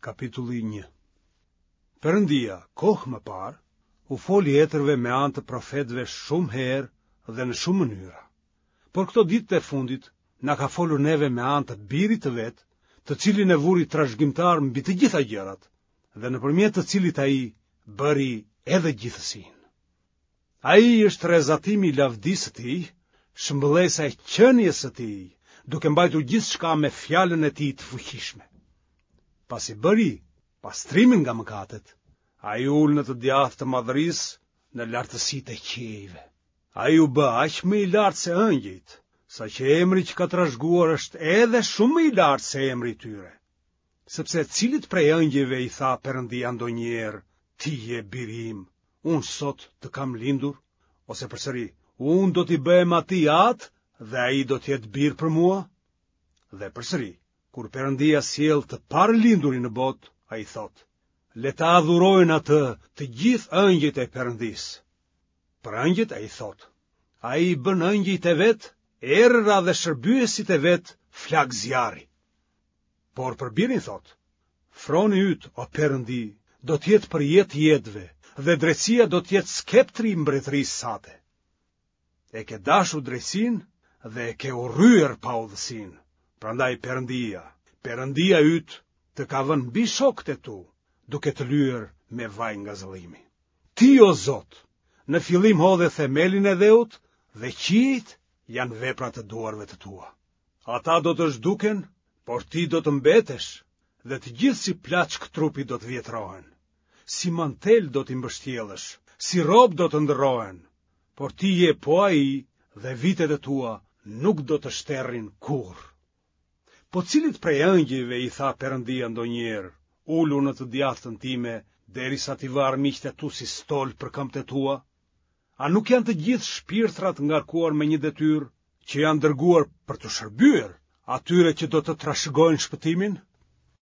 Kapitulli 1 Perëndia, kohë më parë, u foli etërve me anë të profetëve shumë herë dhe në shumë mënyra. Por këto ditët e fundit na ka folur neve me anë të Birit të vet, të cilin e vuri trashëgimtar mbi të gjitha gjërat dhe nëpërmjet të cilit ai bëri edhe gjithësinë. Ai është rrezatimi i lavdisë së tij, shëmbëllesa e qenies së tij, duke mbajtur gjithçka me fjalën e tij të fuqishme. Pasi bëri pastrimin nga mëkatet, ai u ul në të djathtë të madhërisë në lartësitë e qiejve. Ai u bë aq më i lartë se ëngjëjt, saqë emri që ka trashëguar është edhe shumë më i lartë se emri i tyre. Sepse cilit prej ëngjëjve i tha Perëndia ndonjëherë, ti je biri im, unë sot të kam lindur, ose përsëri, unë do t'i bëhem atij atë dhe ai do të jetë bir për mua? Dhe përsëri, kur Perëndia sjell të parëlindurin në botë, ai thotë, le ta adhurojnë atë të gjithë ëngjëjt e Perëndisë. Për ëngjëjt ai thotë, ai i bën ëngjëjt e vet, erëra dhe shërbyesit e vet flakë zjarri. Por për birin thotë, froni yt, o Perëndi, do të jetë për jetë të jetëve, dhe drejtësia do të jetë skeptri i mbretërisë sate. E ke dashur drejtësinë dhe e ke urryer paudhësinë. Prandaj Perëndia, Perëndia yt, të ka vënë mbi shokët e tu, duke të lyer me vaj ngazëllimi. Ti, o Zot, në fillim hodhe themelin e dheut dhe qiejt janë vepra të duarve të tua. Ata do të zhduken, por ti do të mbetesh, dhe të gjithë si plaçkë trupi do të vjetrohen. Si mantel do t'i mbështjellësh, si rrobë do të ndërrohen, por ti je po ai dhe vitet e tua nuk do të shterrin kurrë. Po cilit prej ëngjëjve i tha Perëndia ndonjëherë, ulu në të djathtën time, derisa t'i vë armiqtë e tu si stol për këmbët e tua? A nuk janë të gjithë shpirtra të ngarkuar me një detyrë, që janë dërguar për t'u shërbyer atyre që do të trashëgojnë shpëtimin?